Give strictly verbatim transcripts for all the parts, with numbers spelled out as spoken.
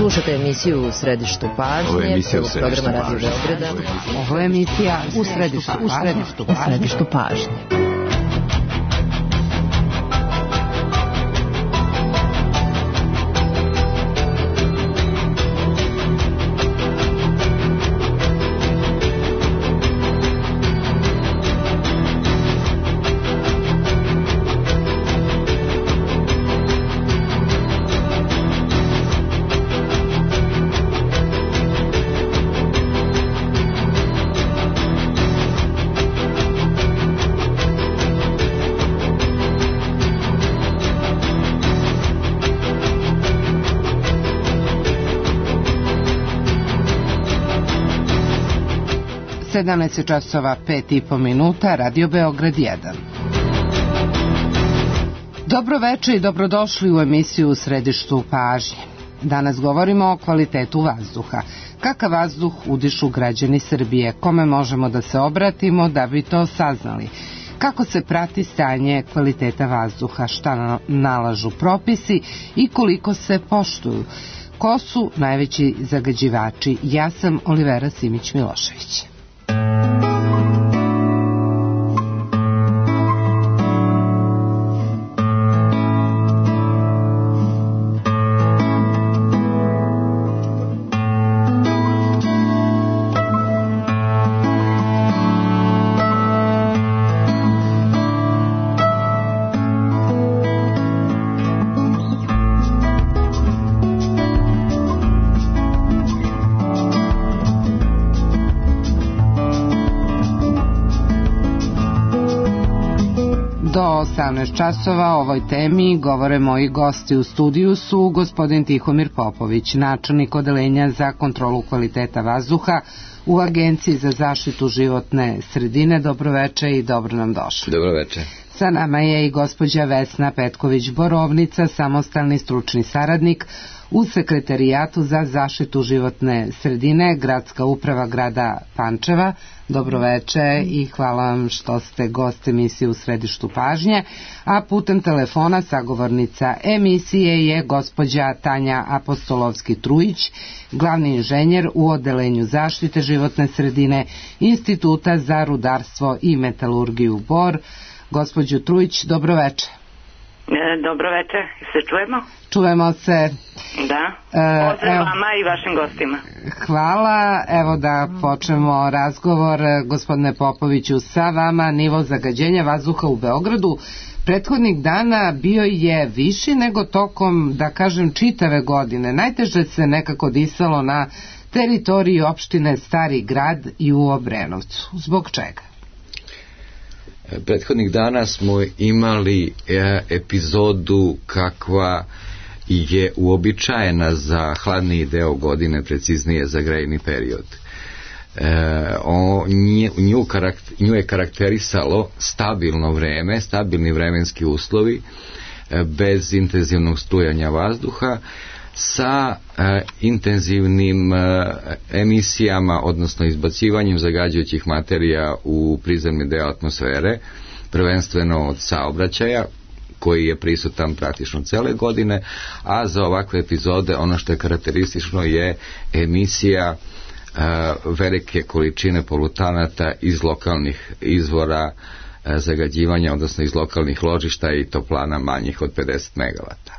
Slušate emisiju U središtu pažnje, prvog programa Radio Beograda. Ovo je emisija U središtu, u središtu, u središtu pažnje. sedamnaest časova pet i po minuta, Radio Beograd jedan. Dobro večer i dobrodošli u emisiju U središtu pažnje. Danas govorimo o kvalitetu vazduha. Kakav vazduh udišu građani Srbije, kome možemo da se obratimo da bi to saznali? Kako se prati stanje kvaliteta vazduha, šta nalažu propisi i koliko se poštuju? Ko su najveći zagađivači? Ja sam Olivera Simić-Milošević. Do osamnaest časova o ovoj temi govore moji gosti. U studiju su gospodin Tihomir Popović, načelnik odeljenja za kontrolu kvaliteta vazduha u Agenciji za zaštitu životne sredine. Dobroveče i dobro nam došli. Dobroveče. Sa nama je i gospođa Vesna Petković-Borovnica, samostalni stručni saradnik u Sekretarijatu za zaštitu životne sredine, Gradska uprava grada Pančeva. Dobroveče i hvala vam što ste gost emisije U središtu pažnje, a putem telefona sagovornica emisije je gospođa Tanja Apostolovski-Trujić, glavni inženjer u Odelenju zaštite životne sredine Instituta za rudarstvo i metalurgiju Bor. Gospođo Trujić, dobroveče. Dobro večer, se čujemo? Čujemo se. Da, pozdrav vama i vašim gostima. Hvala, evo da počnemo razgovor, gospodine Popoviću, sa vama. Nivo zagađenja vazduha u Beogradu prethodnih dana bio je viši nego tokom, da kažem, čitave godine. Najteže se nekako disalo na teritoriji opštine Stari Grad i u Obrenovcu. Zbog čega? Prethodnih dana smo imali e, epizodu kakva je uobičajena za hladniji deo godine, preciznije za grejni period. E, o, nju, nju, karakter, nju je karakterisalo stabilno vreme, stabilni vremenski uslovi, e, bez intenzivnog strujanja vazduha, sa e, intenzivnim e, emisijama, odnosno izbacivanjem zagađujućih materija u prizemni deo atmosfere, prvenstveno od saobraćaja, koji je prisutan praktično cele godine, a za ovakve epizode ono što je karakteristično je emisija e, velike količine polutanata iz lokalnih izvora e, zagađivanja, odnosno iz lokalnih ložišta i toplana manjih od pedeset megavata.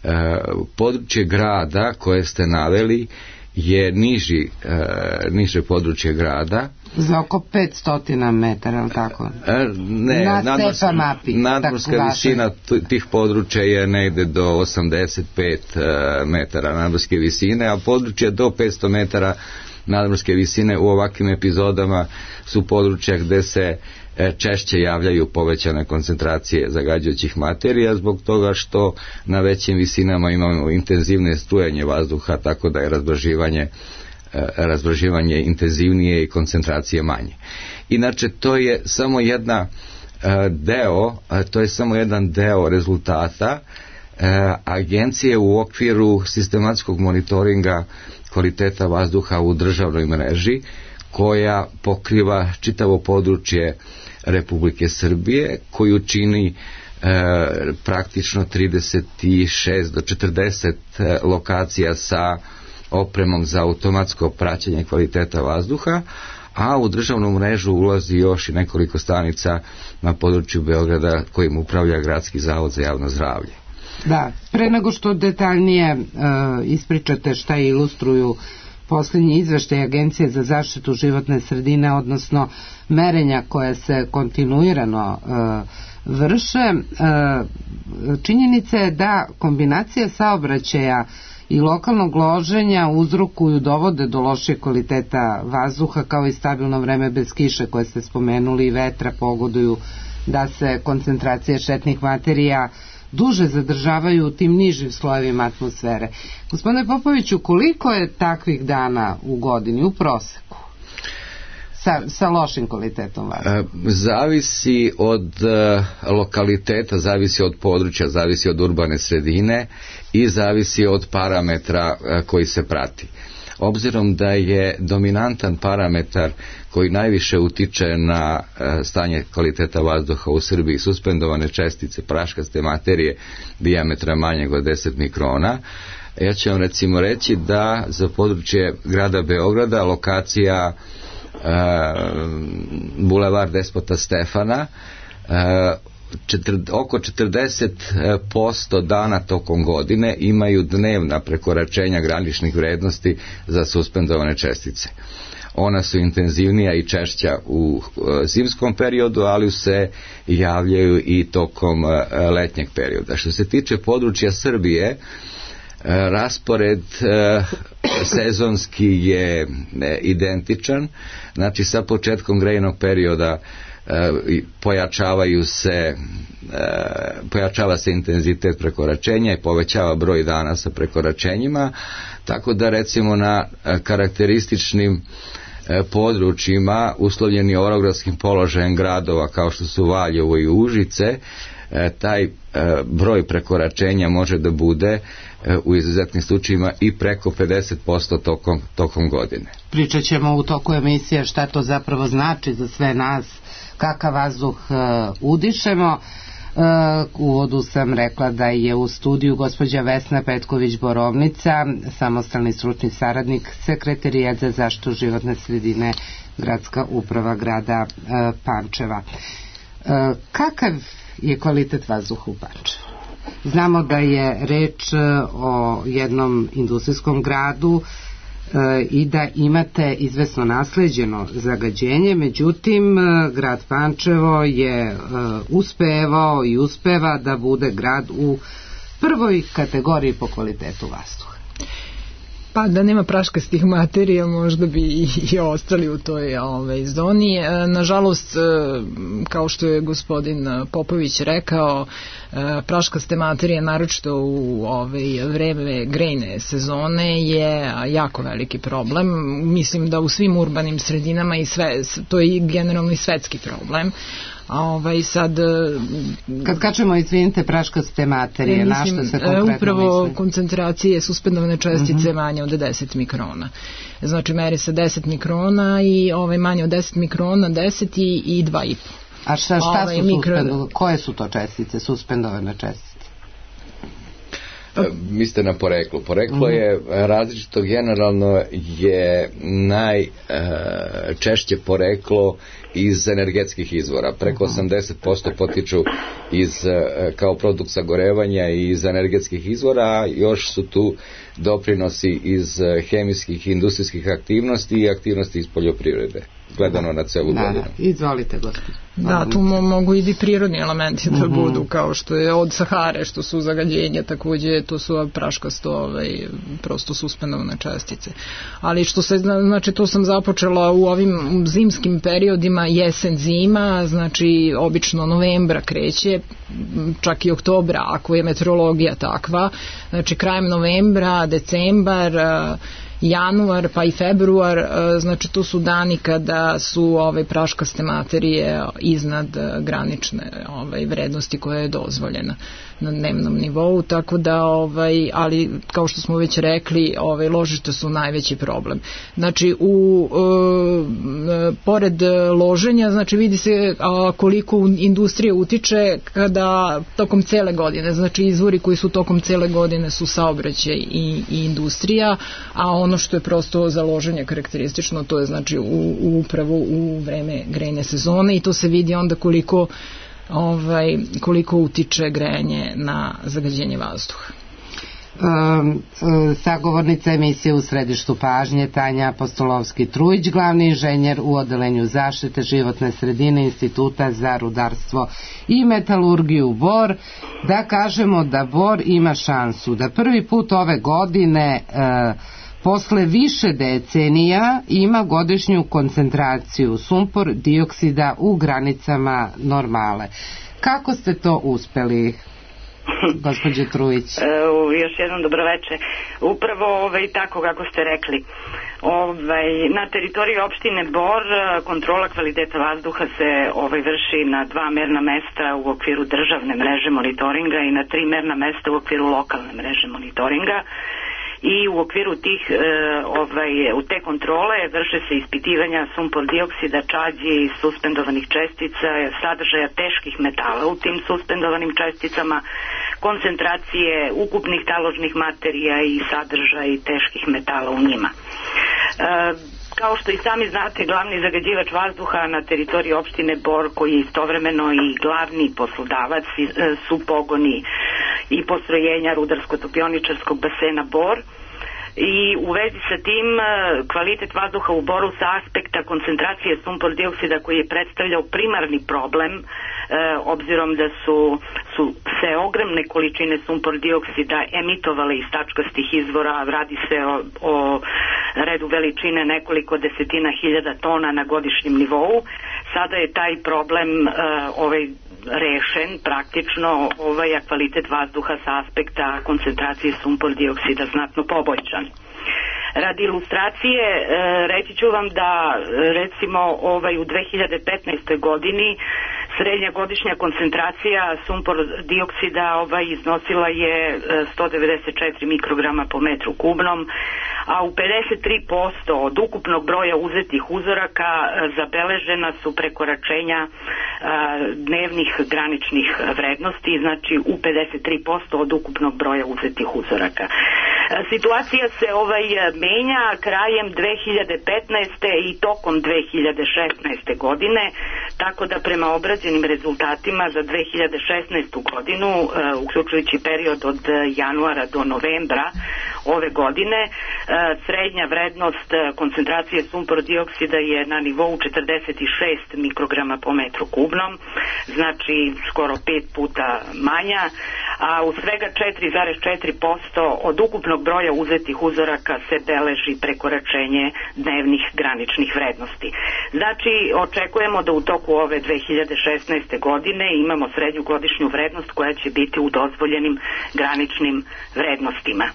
E, područje grada koje ste naveli je niži, e, niže područje grada. Za oko petsto metara, ali tako? E, ne, na nadmorska, stepa mapi. Nadmorska visina tih područja je negde do osamdeset pet metara nadmorske visine, a područje do petsto metara nadmorske visine u ovakvim epizodama su područja gde se češće javljaju povećane koncentracije zagađujućih materija, zbog toga što na većim visinama imamo intenzivne strujanje vazduha, tako da je razbraživanje, razbraživanje intenzivnije i koncentracije manje. Inače, to je samo jedna deo, to je samo jedan deo rezultata agencije u okviru sistematskog monitoringa kvaliteta vazduha u državnoj mreži, koja pokriva čitavo područje Republike Srbije, koju čini e, praktično trideset šest do četrdeset lokacija sa opremom za automatsko praćenje kvaliteta vazduha, a u državnu mrežu ulazi još i nekoliko stanica na području Beograda kojim upravlja Gradski zavod za javno zdravlje. Da, pre nego što detaljnije e, ispričate šta ilustruju posljednji izveštaj Agencije za zaštitu životne sredine, odnosno merenja koje se kontinuirano e, vrše, e, činjenica je da kombinacija saobraćaja i lokalnog loženja uzrokuju, dovode do lošeg kvaliteta vazduha, kao i stabilno vreme bez kiše koje ste spomenuli i vetra pogoduju da se koncentracije štetnih materija duže zadržavaju u tim nižim slojevima atmosfere. Gospodine Popoviću, koliko je takvih dana u godini u proseku sa, sa lošim kvalitetom vazduha? Zavisi od lokaliteta, zavisi od područja, zavisi od urbane sredine i zavisi od parametra koji se prati. Obzirom da je dominantan parametar koji najviše utiče na stanje kvaliteta vazduha u Srbiji suspendovane čestice praškaste materije dijametra manjeg od deset mikrona, ja ću vam recimo reći da za područje grada Beograda lokacija e, Bulevar Despota Stefana e, Četir, oko četrdeset posto dana tokom godine imaju dnevna prekoračenja graničnih vrednosti za suspendovane čestice. Ona su intenzivnija i češća u zimskom periodu, ali se javljaju i tokom letnjeg perioda. Što se tiče područja Srbije, raspored sezonski je identičan, znači sa početkom grejnog perioda pojačavaju se pojačava se intenzitet prekoračenja i povećava broj dana sa prekoračenjima, tako da recimo na karakterističnim područjima uslovljeni orogradskim položajem gradova kao što su Valjevo i Užice, taj broj prekoračenja može da bude u izuzetnim slučajima i preko pedeset posto tokom, tokom godine. Pričat ćemo u toku emisije šta to zapravo znači za sve nas, kakav vazduh uh, udišemo. Uh, u uvodu sam rekla da je u studiju gospođa Vesna Petković-Borovnica, samostalni stručni saradnik Sekretarijat za zaštitu životne sredine, Gradska uprava grada uh, Pančeva. Uh, kakav je kvalitet vazduha u Pančevu? Znamo da je reč o jednom industrijskom gradu i da imate izvesno nasleđeno zagađenje, međutim grad Pančevo je uspevao i uspeva da bude grad u prvoj kategoriji po kvalitetu vazduha. Pa da nema praškastih materija možda bi i, i ostali u toj ovaj, zoni. Nažalost, kao što je gospodin Popović rekao, praškaste materije, naročito u ovaj, vreme grejne sezone, je jako veliki problem. Mislim da u svim urbanim sredinama i sve, to je generalno i svetski problem. A ovaj sad... Kad kažemo, izvinite, praškaste materije, na što se konkretno upravo misli? Koncentracije suspendovane čestice uh-huh. manje od deset mikrona. Znači meri se deset mikrona i ovaj, manje od deset mikrona, deset i, i dva i po. A šta, šta ovaj, su mikro... suspendovane? Koje su to čestice, suspendovane čestice? Mislite na poreklo. Poreklo je različito, generalno je najčešće poreklo iz energetskih izvora. Preko osamdeset posto potiču iz, kao produkt sagorevanja i iz energetskih izvora, a još su tu doprinosi iz hemijskih i industrijskih aktivnosti i aktivnosti iz poljoprivrede, gledano na celu da, godinu. Da, izvolite, gospodine. Da, tu mo- mogu i bi prirodni elementi da uh-huh. budu, kao što je od Sahare, što su zagađenja, takođe to su praškasto, ovaj, prosto suspendovane čestice. Ali što se, znači to sam započela u ovim zimskim periodima, jesen zima, znači obično novembra kreće, čak i oktobra, ako je meteorologija takva, znači krajem novembra, decembar januar pa i februar, znači to su dani kada su ove praškaste materije iznad granične ovaj, vrednosti koja je dozvoljena na dnevnom nivou, tako da, ovaj, ali kao što smo već rekli, ovaj, ložišta su najveći problem. Znači, u, e, pored loženja, znači vidi se a, koliko industrija utiče kada tokom cele godine, znači izvori koji su tokom cele godine su saobraćaj i, i industrija, a ono što je prosto za loženje karakteristično, to je znači u, u upravo u vreme grejne sezone i to se vidi onda koliko ovaj, koliko utiče grejanje na zagađenje vazduha. Um, sagovornica emisije U središtu pažnje Tanja Apostolovski-Trujić, glavni inženjer u odelenju zaštite životne sredine Instituta za rudarstvo i metalurgiju Bor. Da kažemo da Bor ima šansu da prvi put ove godine uh, posle više decenija ima godišnju koncentraciju sumpor dioksida u granicama normale. Kako ste to uspeli, gospođe Trujić? E, još jednom dobroveče. Upravo ovaj, tako kako ste rekli. Ovaj, na teritoriji opštine Bor kontrola kvaliteta vazduha se ovaj, vrši na dva merna mesta u okviru državne mreže monitoringa i na tri merna mesta u okviru lokalne mreže monitoringa. I u okviru tih, e, ovaj, u te kontrole vrše se ispitivanja sumpor dioksida, čađi, suspendovanih čestica, sadržaja teških metala u tim suspendovanim česticama, koncentracije ukupnih taložnih materija i sadržaj teških metala u njima. E, Kao što i sami znate, glavni zagađivač vazduha na teritoriji opštine Bor, koji je istovremeno i glavni poslodavac, su pogoni i postrojenja rudarsko-topioničarskog basena Bor. I u vezi sa tim kvalitet vazduha u Boru sa aspekta koncentracije sumpor dioksida koji je predstavljao primarni problem, e, obzirom da su, su se ogromne količine sumpor dioksida emitovale iz tačkastih izvora, radi se o, o redu veličine nekoliko desetina hiljada tona na godišnjem nivou. Sada je taj problem e, ovaj rešen praktično, ovaj a kvalitet vazduha sa aspekta koncentracije sumpor dioksida znatno poboljšan. Radi ilustracije e, reći ću vam da recimo ovaj u dve hiljade petnaestoj godini srednja godišnja koncentracija sumpor dioksida ovaj iznosila je sto devedeset četiri mikrograma po metru kubnom, a u pedeset tri posto od ukupnog broja uzetih uzoraka zabeležena su prekoračenja a, dnevnih graničnih vrednosti, znači u pedeset tri posto od ukupnog broja uzetih uzoraka. Situacija se ovaj menja krajem dve hiljade petnaeste. i tokom dve hiljade šesnaeste. godine, tako da prema obrađenim rezultatima za dve hiljade šesnaestu. godinu, uključujući period od januara do novembra ove godine, srednja vrednost koncentracije sumpor dioksida je na nivou četrdeset šest mikrograma po metru kubnom, znači skoro pet puta manja, a u svega četiri zarez četiri posto od ukupnog broja uzetih uzoraka se beleži prekoračenje dnevnih graničnih vrednosti. Znači, očekujemo da u toku ove dve hiljade šesnaeste. godine imamo srednju godišnju vrednost koja će biti u dozvoljenim graničnim vrednostima.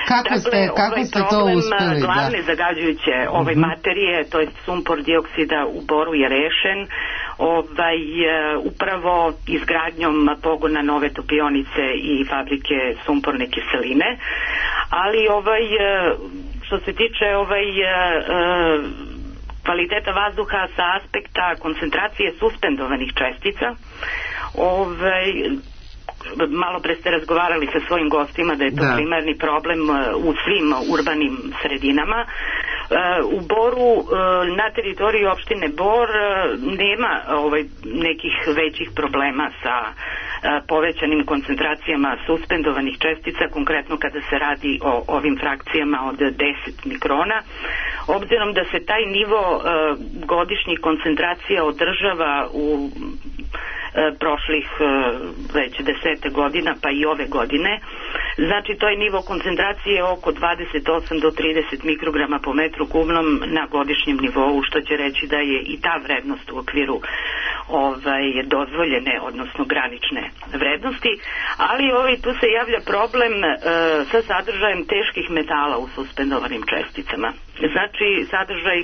Kako dakle, ste, kako ovaj ste to uspeli? Glavne da. zagađujuće ove uh-huh. materije, to je sumpor dioksida u Boru je rešen ovaj, upravo izgradnjom pogona nove topionice i fabrike sumporne kiseline, ali ovaj, što se tiče ovaj, kvaliteta vazduha sa aspekta koncentracije suspendovanih čestica, ovaj, malo pre ste razgovarali sa svojim gostima da je to da. primarni problem u svim urbanim sredinama. U Boru, na teritoriji opštine Bor, nema ovaj, nekih većih problema sa povećanim koncentracijama suspendovanih čestica, konkretno kada se radi o ovim frakcijama od deset mikrona. Obzirom da se taj nivo godišnjih koncentracija održava u prošlih već desete godina pa i ove godine, znači to je nivo koncentracije oko dvadeset osam do trideset mikrograma po metru kubnom na godišnjem nivou, što će reći da je i ta vrednost u okviru ovaj, dozvoljene, odnosno granične vrednosti, ali ovaj, tu se javlja problem e, sa sadržajem teških metala u suspendovanim česticama. Znači, sadržaj,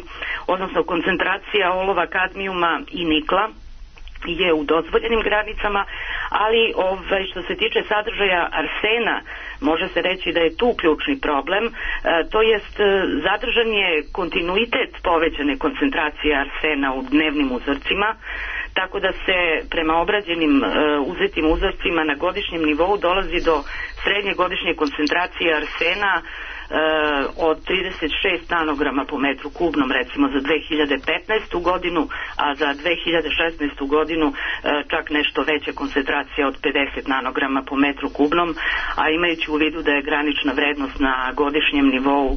odnosno koncentracija olova, kadmijuma i nikla je u dozvoljenim granicama, ali ovaj, što se tiče sadržaja arsena, može se reći da je tu ključni problem, e, to jest zadržan je kontinuitet povećane koncentracije arsena u dnevnim uzorcima, tako da se prema obrađenim e, uzetim uzorcima na godišnjem nivou dolazi do srednje godišnje koncentracije arsena od trideset šest nanograma po metru kubnom recimo za dve hiljade petnaestu godinu, a za dve hiljade šesnaestu godinu čak nešto veća koncentracija od pedeset nanograma po metru kubnom, a imajući u vidu da je granična vrednost na godišnjem nivou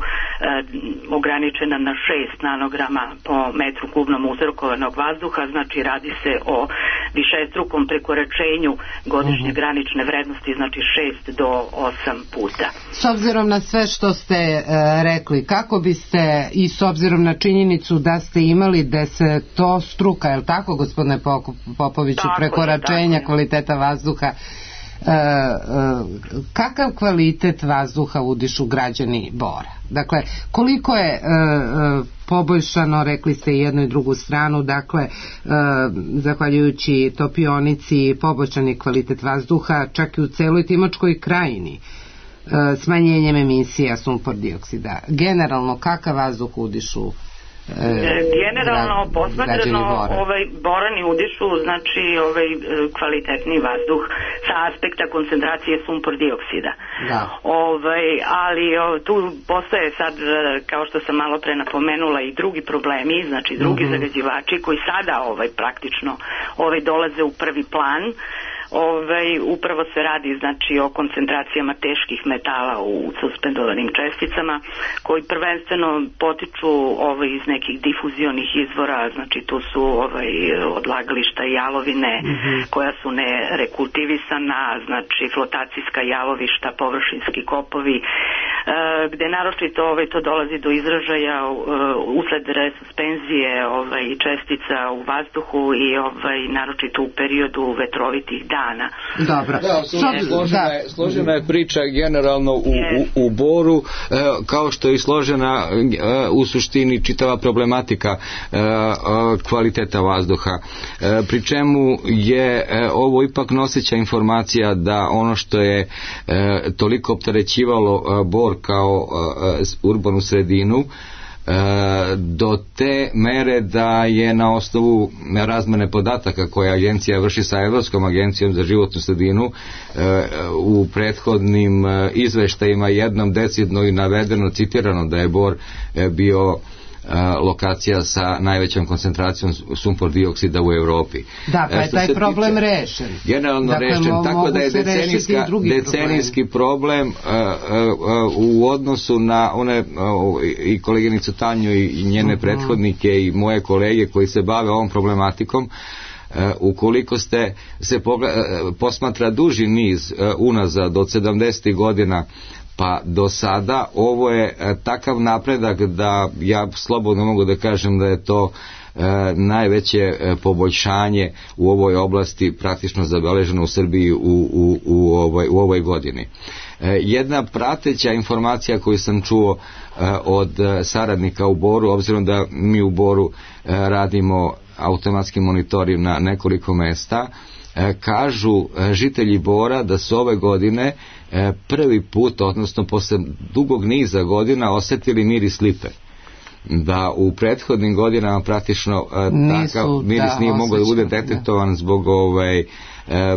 ograničena na šest nanograma po metru kubnom uzrokovanog vazduha, znači radi se o višestrukom prekoračenju godišnje granične vrednosti, znači šest do osam puta. S obzirom na sve što ste e, rekli, kako biste, i s obzirom na činjenicu da ste imali desetostruka, je li tako, gospodine Popoviću, tako prekoračenja je, kvaliteta vazduha, e, e, kakav kvalitet vazduha udišu građani Bora? Dakle, koliko je e, e, poboljšano, rekli ste i jednu i drugu stranu, dakle, e, zahvaljujući topionici, poboljšani kvalitet vazduha, čak i u celoj Timočkoj krajini, smanjenjem emisija sumpor dioksida. Generalno, kakav vazduh udišu? E, Generalno, gra, posmatrano, ovaj, Borani udišu, znači ovaj kvalitetni vazduh sa aspekta koncentracije sumpor dioksida. Da. Ovaj, ali o, tu postoje sad, kao što sam malo pre napomenula, i drugi problemi, znači drugi mm-hmm. zagađivači koji sada ovaj, praktično ovaj, dolaze u prvi plan. Ovaj, upravo se radi znači o koncentracijama teških metala u suspendovanim česticama koji prvenstveno potiču ovaj, iz nekih difuzionih izvora, znači tu su ovaj, odlagališta jalovine mm-hmm. koja su nerekultivisana, znači flotacijska jalovišta, površinski kopovi, e, gde naročito ovaj, to dolazi do izražaja e, usled resuspenzije ovaj, čestica u vazduhu i ovaj, naročito u periodu vetrovitih dana. Dobro. Da, složena, je, složena je priča generalno u, u, u Boru, kao što je i složena u suštini čitava problematika kvaliteta vazduha. Pri čemu je ovo ipak noseća informacija da ono što je toliko opterećivalo Bor kao urbanu sredinu do te mere da je na osnovu razmene podataka koje agencija vrši sa Evropskom agencijom za životnu sredinu u prethodnim izveštajima jednom decidno i navedeno, citirano da je Bor bio lokacija sa najvećom koncentracijom sumpor dioksida u Evropi. Da, pa je taj problem tiče, rešen. Generalno dakle, rešen, mo- tako da je decenijska, decenijski problem uh, uh, u odnosu na one uh, i koleginicu Tanju i njene uh-huh. prethodnike i moje kolege koji se bave ovom problematikom. Uh, ukoliko ste se pogled, uh, posmatra duži niz uh, unazad od sedamdesetih godina pa do sada, ovo je e, takav napredak da ja slobodno mogu da kažem da je to e, najveće e, poboljšanje u ovoj oblasti praktično zabeleženo u Srbiji u, u, u, ovoj, u ovoj godini. E, jedna prateća informacija koju sam čuo e, od e, saradnika u Boru, obzirom da mi u Boru e, radimo automatski monitoring na nekoliko mesta, e, kažu e, žitelji Bora da su ove godine prvi put, odnosno posle dugog niza godina osetili miris lipe. Da u prethodnim godinama praktično Nisu, takav miris da, nije mogao da bude detektovan zbog ovaj,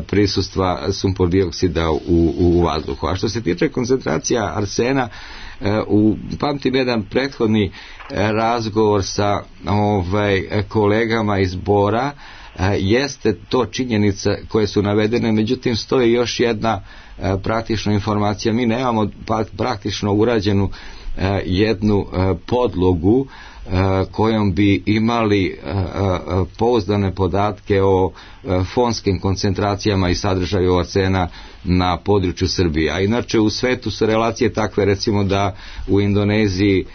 prisustva sumpor dioksida u, u, u vazduhu. A što se tiče koncentracija arsena, u, pamtim jedan prethodni razgovor sa ovaj, kolegama iz Bora, jeste to činjenica koje su navedene, međutim stoji još jedna praktična informacija. Mi nemamo praktično urađenu jednu podlogu kojom bi imali pouzdane podatke o fonskim koncentracijama i sadržaju arsena na području Srbije. A inače u svetu su relacije takve, recimo da u Indoneziji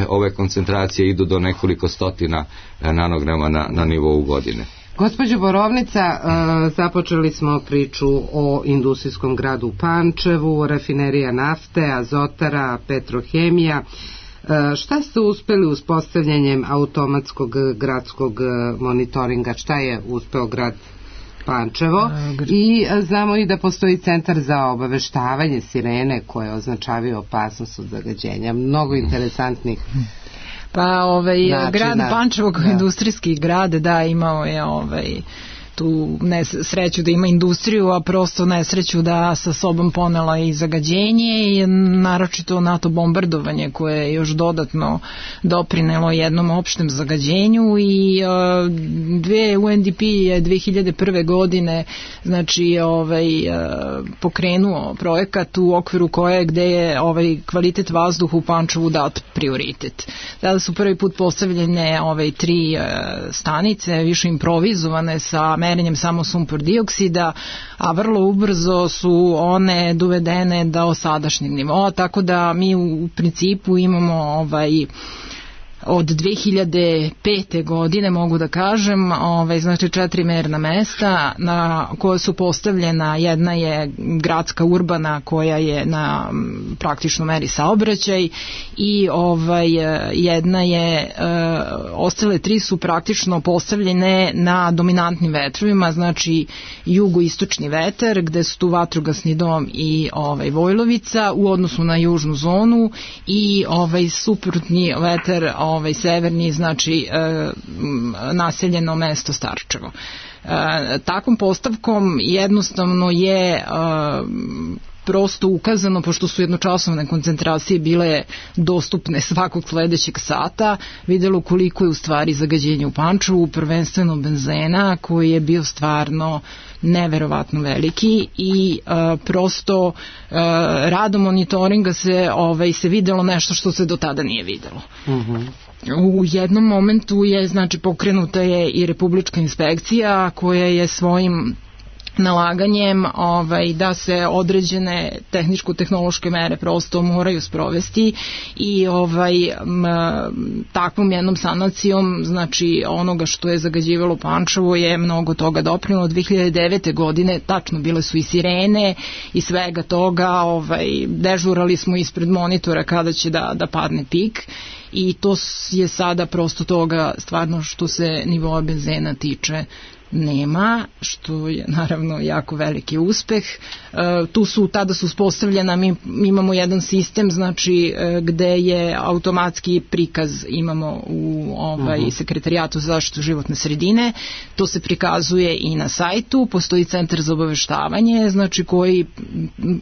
ove koncentracije idu do nekoliko stotina nanograma na, na nivou godine. Gospođo Borovnica, započeli smo priču o industrijskom gradu Pančevu, rafinerija nafte, azotara, petrohemija. Šta ste uspeli uspostavljanjem automatskog gradskog monitoringa? Šta je uspeo grad Pančevo? I znamo i da postoji centar za obaveštavanje sirene koje označavaju opasnost od zagađenja. Mnogo interesantnih Pa ovaj načina. Grad Pančevo kao industrijski grad, da, imao je ovaj tu nesreću da ima industriju, a prosto nesreću da sa sobom ponela i zagađenje i naročito NATO bombardovanje koje je još dodatno doprinelo jednom opštem zagađenju i uh, dve U N D P je dve hiljade prve godine znači ovaj uh, pokrenuo projekat u okviru koje gde je ovaj kvalitet vazduha u Pančevu dat prioritet. Tada su prvi put postavljene ovaj tri uh, stanice, više improvizovane sa merenjem samo sumpor dioksida, a vrlo ubrzo su one dovedene do sadašnjeg nivoa, tako da mi u principu imamo ovaj od dve hiljade pete godine, mogu da kažem, ovaj, znači četiri merna mesta na koje su postavljena. Jedna je gradska urbana koja je na praktično meri saobraćaj i ovaj, jedna je, e, ostale tri su praktično postavljene na dominantnim vetrovima, znači jugoistočni vetar, gde su tu vatrogasni dom i ovaj, Vojlovica u odnosu na južnu zonu i ovaj suprotni vetar ovaj severni, znači e, naseljeno mesto Starčevo. E, takvom postavkom jednostavno je e, prosto ukazano, pošto su jednočasovne koncentracije bile dostupne svakog sledećeg sata, videlo koliko je u stvari zagađenje u Pančevu, prvenstveno benzena, koji je bio stvarno neverovatno veliki i uh, prosto uh, radom monitoringa se, ovaj, se videlo nešto što se do tada nije videlo. Uh-huh. U jednom momentu je, znači, pokrenuta je i Republička inspekcija koja je svojim nalaganjem ovaj, da se određene tehničko-tehnološke mere prosto moraju sprovesti i ovaj, m, takvom jednom sanacijom, znači onoga što je zagađivalo Pančevo je mnogo toga doprinelo. dve hiljade devete godine tačno bile su i sirene i svega toga, ovaj, dežurali smo ispred monitora kada će da, da padne pik i to je sada prosto toga stvarno što se nivoa benzena tiče nema, što je naravno jako veliki uspeh. E, tu su, tada su uspostavljena, mi, mi imamo jedan sistem, znači e, gde je automatski prikaz imamo u ovaj, uh-huh. Sekretarijatu za zaštitu životne sredine, to se prikazuje i na sajtu, postoji centar za obaveštavanje, znači koji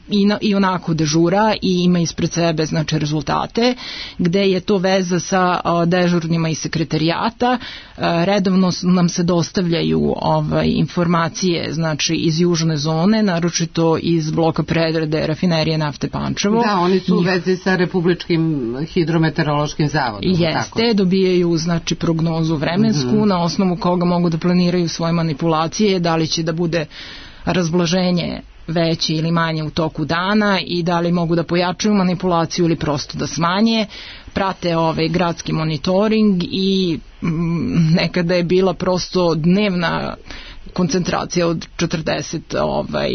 i, na, i onako dežura i ima ispred sebe znači rezultate, gde je to veza sa a, dežurnima iz sekretarijata, a, redovno nam se dostavljaju ovaj, informacije znači iz južne zone, naročito iz bloka predrade rafinerije nafte Pančevo. Da, oni su u vezi sa Republičkim hidrometeorološkim zavodom. Jeste, tako. Dobijaju znači prognozu vremensku, mm-hmm. na osnovu koga mogu da planiraju svoje manipulacije, da li će da bude razblaženje veće ili manje u toku dana i da li mogu da pojačaju manipulaciju ili prosto da smanje. Prate ovaj gradski monitoring i m, nekada je bila prosto dnevna koncentracija od četrdeset ovaj,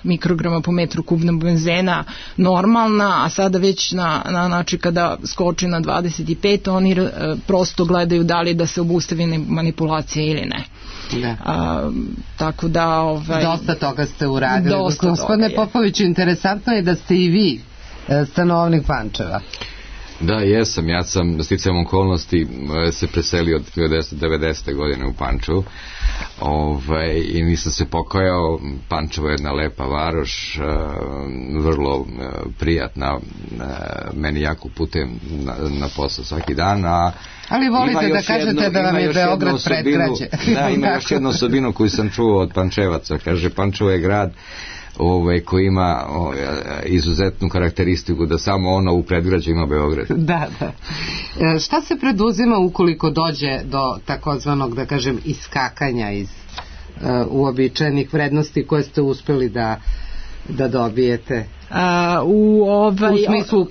mikrograma po metru kubnom benzena normalna, a sada već na, na način kada skoči na dvadeset pet oni e, prosto gledaju da li da se obustavi manipulacija ili ne. Da. A, tako da ovaj, dosta toga ste uradili. Gospodine Popoviću, interesantno je da ste i vi stanovnik Pančeva. Da, jesam. Ja sam sticajem okolnosti se preselio od hiljadu devetsto devedesete godine u Pančevu. Ovaj, i nisam se pokajao. Pančevo je jedna lepa varoš, vrlo prijatna, meni jako putem na, na posao svaki dan, a ali volite da kažete jedno, da vam je Beograd predgrađe. Da, ima još jednu osobinu koju sam čuo od Pančevaca. Kaže, Pančevo je grad ovaj, koji ima o, izuzetnu karakteristiku da samo ono u predgrađu ima Beograd. Da, da. E, šta se preduzima ukoliko dođe do takozvanog, da kažem, iskakanja iz uh, uobičajenih vrednosti koje ste uspeli da, da dobijete? u ovaj... U smislu,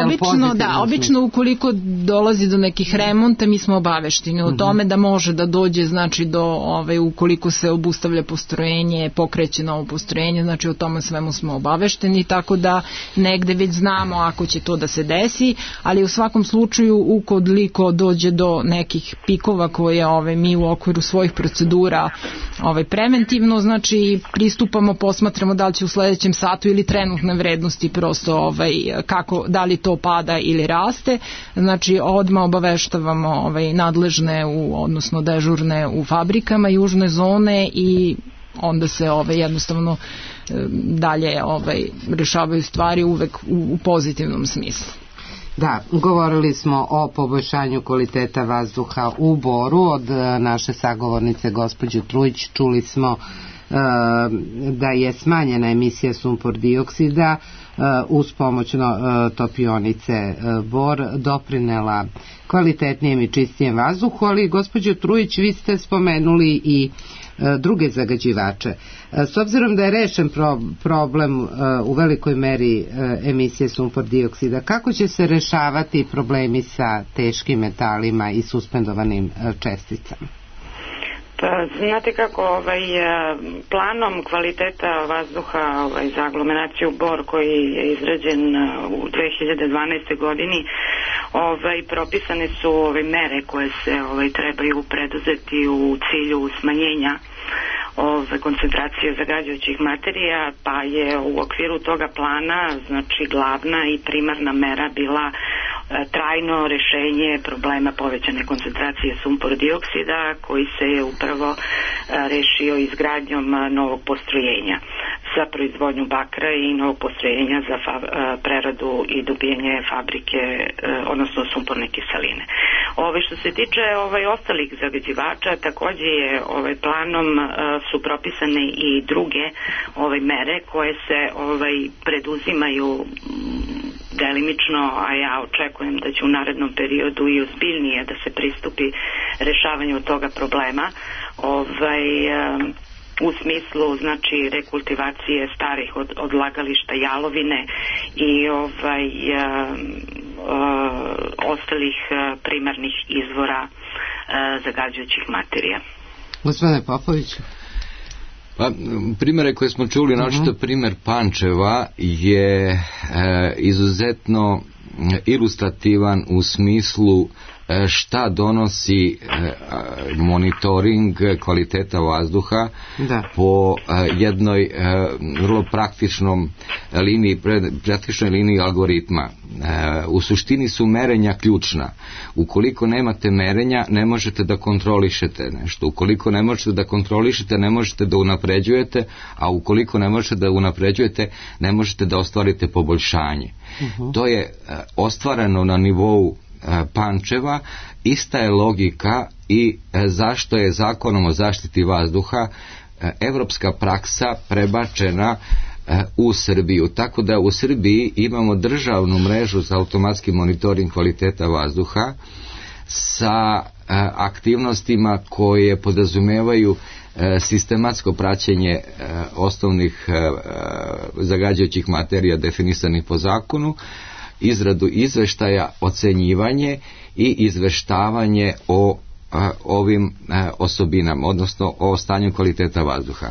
obično, da, obično ukoliko dolazi do nekih remonta, mi smo obavešteni o tome da može da dođe, znači do, ovaj, ukoliko se obustavlja postrojenje, pokreće novo postrojenje, znači o tome svemu smo obavešteni, tako da negde već znamo ako će to da se desi, ali u svakom slučaju ukoliko dođe do nekih pikova koje ovaj, mi u okviru svojih procedura ovaj, preventivno, znači pristupamo, posmatramo da li će u sledećem satu ili trenutne vrednosti prosto ovaj, kako, da li to pada ili raste, znači odmah obaveštavamo ovaj, nadležne, u, odnosno dežurne u fabrikama južne zone i onda se ovaj, jednostavno dalje ovaj, rešavaju stvari uvek u, u pozitivnom smislu. Da, govorili smo o poboljšanju kvaliteta vazduha u Boru od naše sagovornice gospođe Trujić. Čuli smo e, da je smanjena emisija sumpor dioksida e, uz pomoć no, e, topionice e, Bor doprinela kvalitetnijem i čistijem vazduhu, ali gospođo Trujić, vi ste spomenuli i e, druge zagađivače. E, s obzirom da je rešen pro, problem e, u velikoj meri e, emisije sumpor dioksida, kako će se rešavati problemi sa teškim metalima i suspendovanim e, česticama? Pa, znate kako, ovaj, planom kvaliteta vazduha ovaj, za aglomeraciju Bor koji je izrađen u dve hiljade dvanaestoj godini, ovaj, propisane su ove mere koje se ovaj, trebaju preduzeti u cilju smanjenja ove koncentracije zagađujućih materija, pa je u okviru toga plana, znači glavna i primarna mera bila e, trajno rešenje problema povećane koncentracije sumpor dioksida, koji se je upravo e, rešio izgradnjom novog postrojenja za proizvodnju bakra i novog postrojenja za fa, e, preradu i dobijanje fabrike, e, odnosno sumporne kiseline. Ove što se tiče ovaj ostalih zagađivača, takođe je ovaj planom e, su propisane i druge ove mere koje se ovaj preduzimaju delimično, a ja očekujem da će u narednom periodu i ozbiljnije da se pristupi rešavanju toga problema, ovaj u smislu znači rekultivacije starih od, odlagališta jalovine i ovaj a, a, ostalih a, primarnih izvora a, zagađujućih materija. Gospodine Popović. Pa, primere koje smo čuli, uh-huh. naočito primer Pančeva je e, izuzetno ilustrativan u smislu e, šta donosi e, monitoring kvaliteta vazduha da. po e, jednoj e, vrlo praktičnom liniji, praktičnoj liniji algoritma. E, u suštini su merenja ključna. Ukoliko nemate merenja, ne možete da kontrolišete nešto. Ukoliko ne možete da kontrolišete, ne možete da unapređujete, a ukoliko ne možete da unapređujete, ne možete da ostvarite poboljšanje. Uh-huh. To je e, ostvareno na nivou e, Pančeva. Ista je logika i e, zašto je zakonom o zaštiti vazduha e, evropska praksa prebačena e, u Srbiju. Tako da u Srbiji imamo državnu mrežu za automatski monitoring kvaliteta vazduha sa e, aktivnostima koje podrazumevaju e, sistematsko praćenje e, osnovnih e, zagađujućih materija definisanih po zakonu, izradu izveštaja, ocenjivanje i izveštavanje o a, ovim a, osobinama, odnosno o stanju kvaliteta vazduha.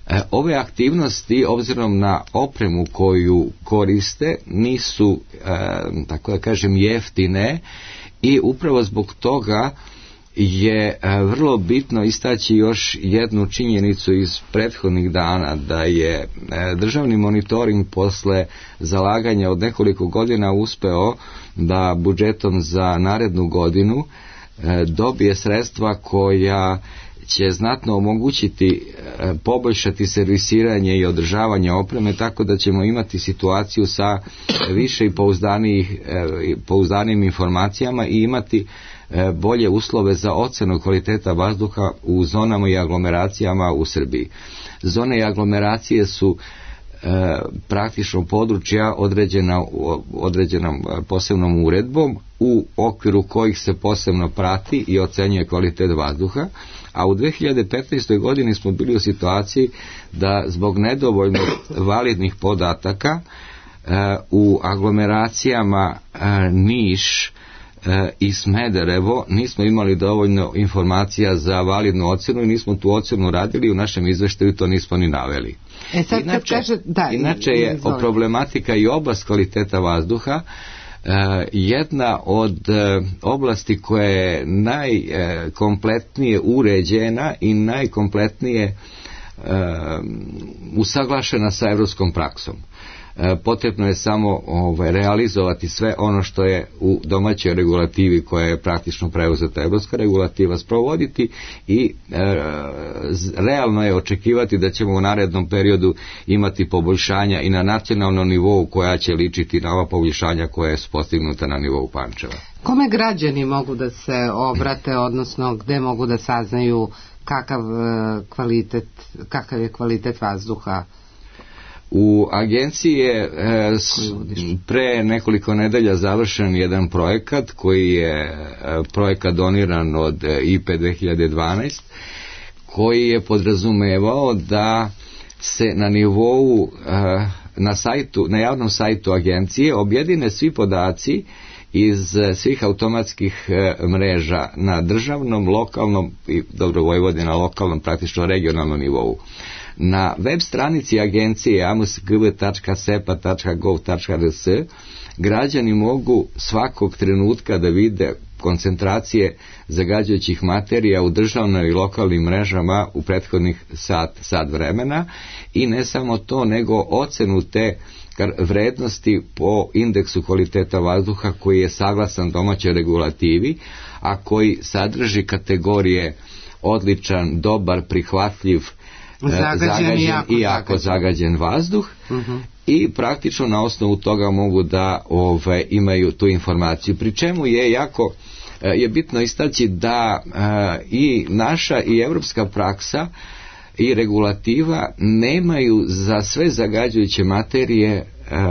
E, ove aktivnosti, obzirom na opremu koju koriste, nisu, e, tako da kažem, jeftine i upravo zbog toga je vrlo bitno istaći još jednu činjenicu iz prethodnih dana, da je državni monitoring posle zalaganja od nekoliko godina uspeo da budžetom za narednu godinu dobije sredstva koja će znatno omogućiti poboljšati servisiranje i održavanje opreme, tako da ćemo imati situaciju sa više i pouzdanijim informacijama i imati bolje uslove za ocenu kvaliteta vazduha u zonama i aglomeracijama u Srbiji. Zone i aglomeracije su e, praktično područja određena određenom posebnom uredbom u okviru kojih se posebno prati i ocenjuje kvalitet vazduha, a u dve hiljade petnaestoj godini smo bili u situaciji da zbog nedovoljno validnih podataka u aglomeracijama Niš i Smederevo nismo imali dovoljno informacija za validnu ocenu i nismo tu ocenu radili, u našem izveštaju to nismo ni naveli. E sad, inače, kaže, da, inače je izvolite. problematika i oblast kvaliteta vazduha jedna od oblasti koja je najkompletnije uređena i najkompletnije usaglašena sa evropskom praksom. Potrebno je samo ovaj, realizovati sve ono što je u domaćoj regulativi koja je praktično preuzeta evropska regulativa sprovoditi i e, realno je očekivati da ćemo u narednom periodu imati poboljšanja i na nacionalnom nivou koja će ličiti na ova poboljšanja koja su postignuta na nivou Pančeva. Kome građani mogu da se obrate, odnosno gde mogu da saznaju kakav kvalitet, kakav je kvalitet vazduha? U agenciji je e, pre nekoliko nedelja završen jedan projekat koji je e, projekat doniran od I P dve hiljade dvanaest koji je podrazumevao da se na nivou e, na sajtu, na javnom sajtu agencije objedine svi podaci iz svih automatskih e, mreža na državnom, lokalnom i dobro Vojvodina lokalnom, praktično regionalnom nivou. Na web stranici agencije a m s g v tačka s e p a tačka gov tačka r s građani mogu svakog trenutka da vide koncentracije zagađujućih materija u državnoj i lokalnim mrežama u prethodnih sat, sat vremena i ne samo to, nego ocenu te vrednosti po indeksu kvaliteta vazduha koji je saglasan domaćoj regulativi, a koji sadrži kategorije odličan, dobar, prihvatljiv, zagađen, zagađen i jako, i jako zagađen vazduh uh-huh. i praktično na osnovu toga mogu da ove, imaju tu informaciju. Pri čemu je jako je bitno istaći da e, i naša i evropska praksa i regulativa nemaju za sve zagađujuće materije e,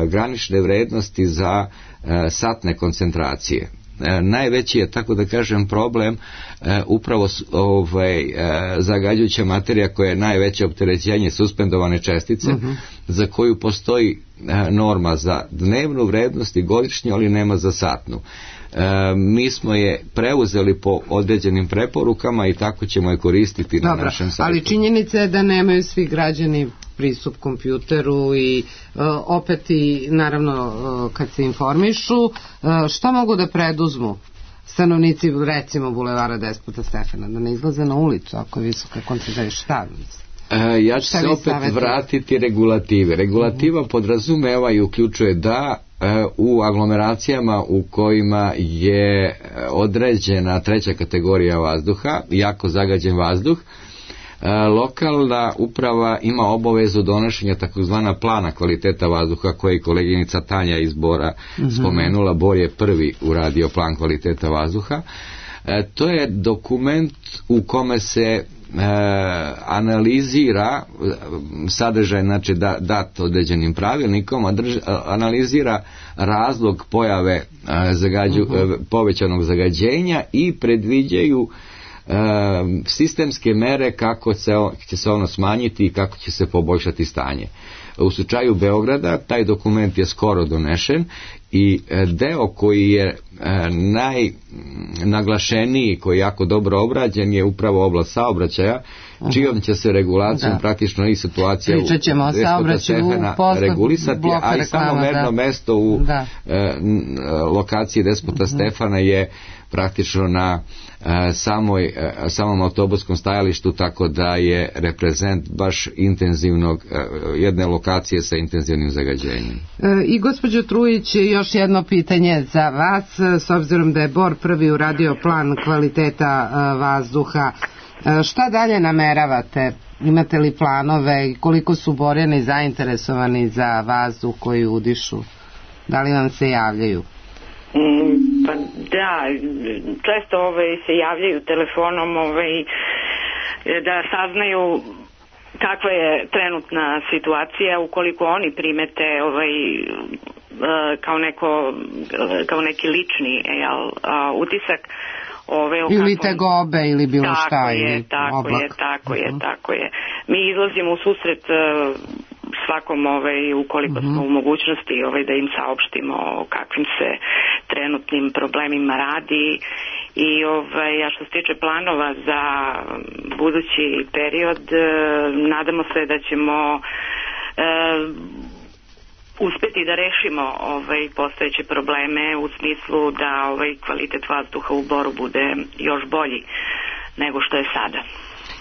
granične vrednosti za e, satne koncentracije. E, najveći je, tako da kažem, problem e, upravo ovaj, e, zagađujuća materija koja je najveće opterećenje, suspendovane čestice, uh-huh. za koju postoji e, norma za dnevnu vrednost i godišnju, ali nema za satnu. E, mi smo je preuzeli po određenim preporukama i tako ćemo je koristiti. Dobro, na našem sajtu. Ali činjenica je da nemaju svi građani pristup kompjuteru i uh, opet i naravno uh, kad se informišu, uh, šta mogu da preduzmu stanovnici recimo bulevara Despota Stefana, da ne izlaze na ulicu ako je visoka koncentracija, šta e, ja ću se opet savjeti? vratiti regulative. Regulativa uh-huh. podrazumeva i uključuje da e, u aglomeracijama u kojima je određena treća kategorija vazduha, jako zagađen vazduh, lokalna uprava ima obavezu donošenja takozvana plana kvaliteta vazduha koje je koleginica Tanja iz Bora uh-huh. spomenula. Bor je prvi uradio plan kvaliteta vazduha. E, to je dokument u kome se e, analizira sadržaj, znači da, dat određenim pravilnikom, a drž, analizira razlog pojave e, zagađu, uh-huh. e, povećanog zagađenja i predviđaju sistemske mere kako se, će se ono smanjiti i kako će se poboljšati stanje. U slučaju Beograda taj dokument je skoro donešen i deo koji je najnaglašeniji, koji je jako dobro obrađen, je upravo oblast saobraćaja, čijom će se regulacijom da. praktično i situacija u Despota Stefana regulisati, a i samo merno da. mesto u da. e, lokaciji Despota uh-huh. Stefana je praktično na e, samoj, e, samom autobuskom stajalištu, tako da je reprezent baš intenzivnog, e, jedne lokacije sa intenzivnim zagađenjem. E, I gospođo Trujić, još jedno pitanje za vas, s obzirom da je Bor prvi uradio plan kvaliteta e, vazduha. E, šta dalje nameravate? Imate li planove i koliko su Borjani zainteresovani za vazduh koji udišu? Da li vam se javljaju? Mm, pa da, često ovaj, se javljaju telefonom ovaj, da saznaju kakva je trenutna situacija, ukoliko oni primete ovaj, kao, neko, kao neki lični jel, utisak. Ove, ili kakvom... tegobe ili bilo tako šta je, ili tako oblak. je, tako uh-huh. je, tako je. Mi izlazimo u susret uh, svakom, ovaj, ukoliko mm-hmm. smo u mogućnosti ovaj, da im saopštimo o kakvim se trenutnim problemima radi. I ovaj, a što se tiče planova za budući period, nadamo se da ćemo e, uspeti da rešimo ovaj, postojeće probleme u smislu da ovaj, kvalitet vazduha u Boru bude još bolji nego što je sada.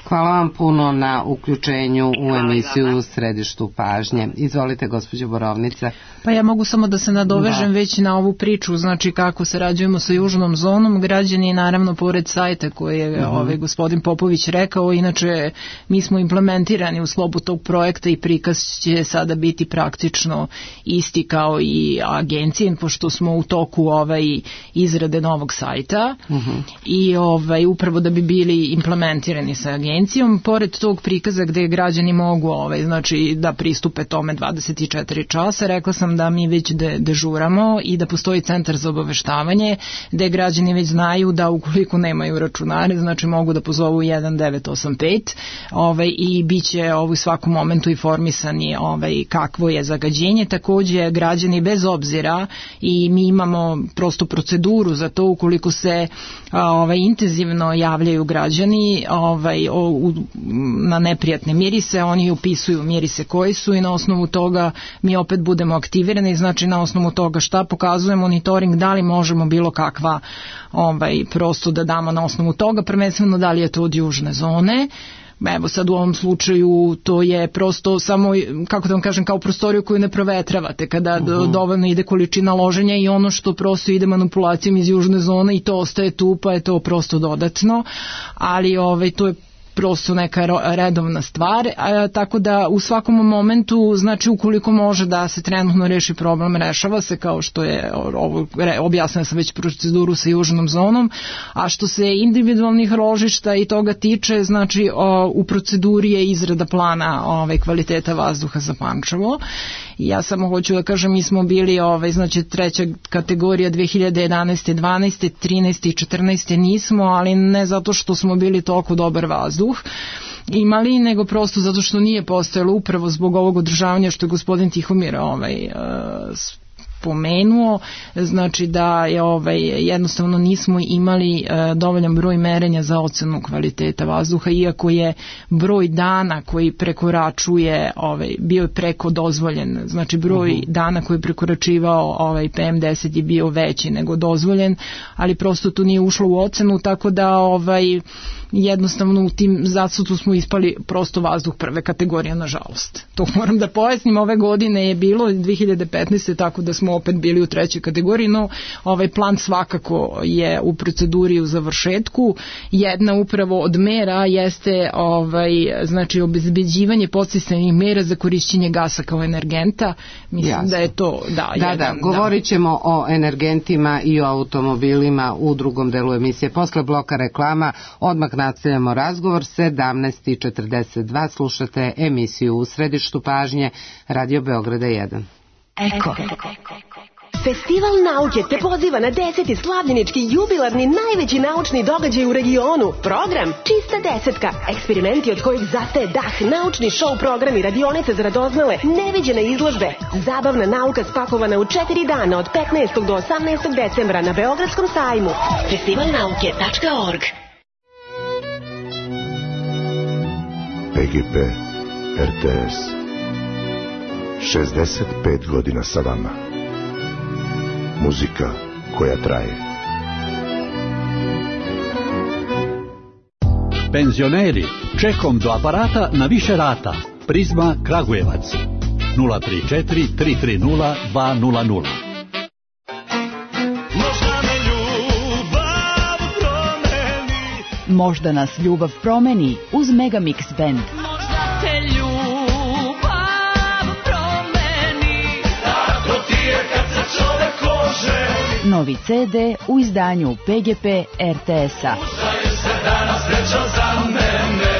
Hvala vam puno na uključenju u emisiju u Središtu pažnje. Izvolite, gospođo Borovnica. Pa ja mogu samo da se nadovežem da. već na ovu priču, znači kako sarađujemo sa južnom zonom. Građani, naravno, pored sajta koje je uh-huh. ovaj gospodin Popović rekao, inače mi smo implementirani u sklopu tog projekta i prikaz će sada biti praktično isti kao i agencije, pošto smo u toku ovaj izrade novog sajta uh-huh. i ovaj upravo da bi bili implementirani sa agencijom. Pored tog prikaza gde građani mogu ovaj, znači, da pristupe tome dvadeset četiri časa, rekla sam da mi već de, dežuramo i da postoji centar za obaveštavanje gde građani već znaju da ukoliko nemaju računare, znači mogu da pozovu jedan devet osam pet ovaj, i bit će ovaj, u svakom momentu informisani ovaj, kakvo je zagađenje. Takođe građani bez obzira i mi imamo prostu proceduru za to ukoliko se ovaj, intenzivno javljaju građani ovaj, o, u, na neprijatne mirise, oni upisuju mirise koji su i na osnovu toga mi opet budemo aktivirani, znači na osnovu toga šta pokazuje monitoring, da li možemo bilo kakva ovaj, prosto da damo na osnovu toga, prvenstveno da li je to od južne zone. Evo sad u ovom slučaju to je prosto samo, kako da vam kažem, kao prostoriju koju ne provetravate kada uh-huh. dovoljno ide količina loženja i ono što prosto ide manipulacijom iz južne zone i to ostaje tu, pa je to prosto dodatno, ali ovaj, to je prosto neka redovna stvar, a, tako da u svakom momentu, znači ukoliko može da se trenutno reši problem, rešava se, kao što je ovo, objasnila sam već proceduru sa južnom zonom, a što se individualnih ložišta i toga tiče, znači o, u proceduri je izrada plana ove, kvaliteta vazduha za Pančevo. Ja samo hoću da kažem, mi smo bili ovaj, znači treća kategorija dve hiljade jedanaeste, dvanaeste, trinaeste i četrnaeste nismo, ali ne zato što smo bili toliko dobar vazduh imali, nego prosto zato što nije postojalo upravo zbog ovog održavanja što je gospodin Tihomir ovaj, pomenuo, znači da je ovaj, jednostavno nismo imali e, dovoljan broj merenja za ocenu kvaliteta vazduha, iako je broj dana koji prekoračuje, ovaj, bio je preko dozvoljen, znači broj uh-huh. dana koji je prekoračivao ovaj, P M deset je bio veći nego dozvoljen, ali prosto to nije ušlo u ocenu, tako da ovaj, jednostavno u tim zasutu smo ispali prosto vazduh prve kategorije, nažalost. To moram da pojasnim, ove godine je bilo dve hiljade petnaeste, tako da smo opet bili u trećoj kategoriji, no ovaj plan svakako je u proceduri u završetku. Jedna upravo od mera jeste ovaj, znači obezbeđivanje podsticajnih mera za korišćenje gasa kao energenta. Mislim Jasno. da je to da, da, jedan, da. Govorit ćemo da. o energentima i o automobilima u drugom delu emisije. Posle bloka reklama odmah nastavljamo razgovor. Sedamnaest i četrdeset dva slušate emisiju U središtu pažnje Radio Beograda jedan. Eko. Festival nauke te poziva na deseti slavljenički jubilarni najveći naučni događaj u regionu. Program Čista desetka. Eksperimenti od kojih zastaje dah, naučni show programi, radionice za radoznale, neviđene izložbe. Zabavna nauka spakovana u četiri dana od petnaestog do osamnaestog decembra na Beogradskom sajmu. festival nauke tačka org. P G P R T S šezdeset pet godina sa vama. Muzika koja traje. Penzioneri, čekom do aparata na više rata. Prizma Kragujevac nula tri četiri tri tri nula dva nula nula. Možda nas ljubav promeni uz Megamix Band. Možda te ljubav promeni, tako ti je kad se čovek oženi. Novi ce de u izdanju P G P R T S-a. Udaje se danas sreća za mene,